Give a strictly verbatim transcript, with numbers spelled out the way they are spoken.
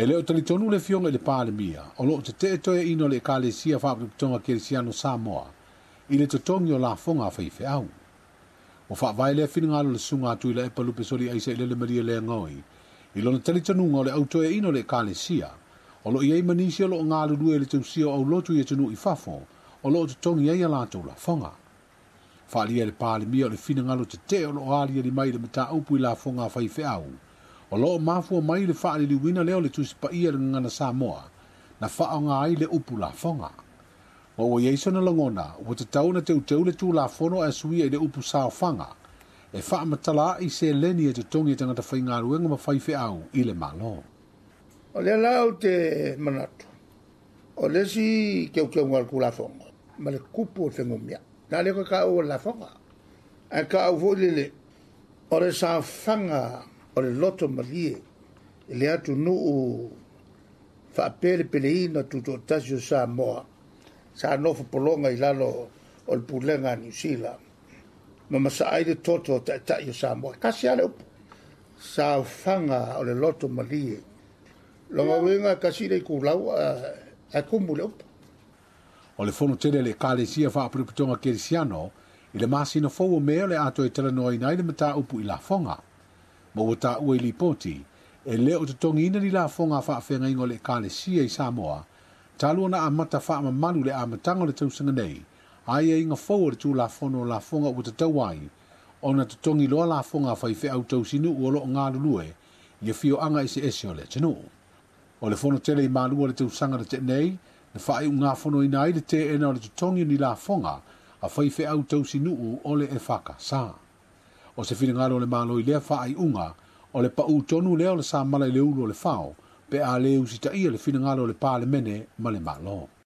E le o talitonu le Afioga i le Palemia, o lo o tetee toeaiina o le Ekalesia Faapotopotoga Kerisiano Samoa i le totogi o lafoga a faifeau. Ua faavae lea finagalo o le susuga a Tuilaepa Lupe Soliaisa i Lele Maria Leagoe i lona talitonuga o le au toeaiina o le Ekalesia, o lo o i ai ma nisi o lo o galulue i le tausia o aulotu i atunuu i fafo, o lo o totogi ai a latou lafoga. Faaalia e le Palemia o le finagalo tetee o lo o aliali mai i le mataupu i lafoga a faifeau, o lo o mafua mai le faaliliuina lea o le Tusi Paia i le Gagana Samoa, na faaaoga ai le upu lafoga. Ma ua i ai sona lagona, ua tatau ona teuteu le Tulafono ae suia i le upu saofaga, e faamatala ai seleni e totogi e tagata faigaluega ma faifeau i le Malo. O lea la ou te manatu, o le isi teuteuga o le Tulafono ma le tupu o le fegumia. Na lea ka taua o le lafoga. Ae taua foi lele, o le saofaga o le loto malie i le atunuu faapelepeleina tutoatasi o Samoa, sa nofo pologa i lalo o le pulega a Niu Sila, ma masaa ai le toto o taitai o Samoa. Kasi lava le upu, saofaga o le loto malie. Lona uiga kasi le itulau ae tumu le upu. O le fono tele a le Ekalesia Faapotopotoga Kerisiano i le masina fou o Me o le a toe talanoaina ai le mataupu i lafoga. Ma ua taua i lipoti, e le o totogiina ni lafoga a faafeagaiga o le Ekalesia i Samoa, talu ona amata faamamalu le amataga o le tausaga nei, aiaiga fou o le Tulafono o Lafoga ua tatau ai ona totogi loa lafoga a faifeau tausinuu o lo o galulue i afioaga eseese o le atunuu. O le fono tele i Malua le tausaga na tea nei, na faaiugafonoina ai le teena o le totogi o ni lafoga a faifeau tausinuu o le E F K S. O se finagalo o le Malo i lea faaiuga, o le pau tonu lea o le samala i le ulu o le fao, pe a le usitaia le finagalo o le Palemene ma le Malo.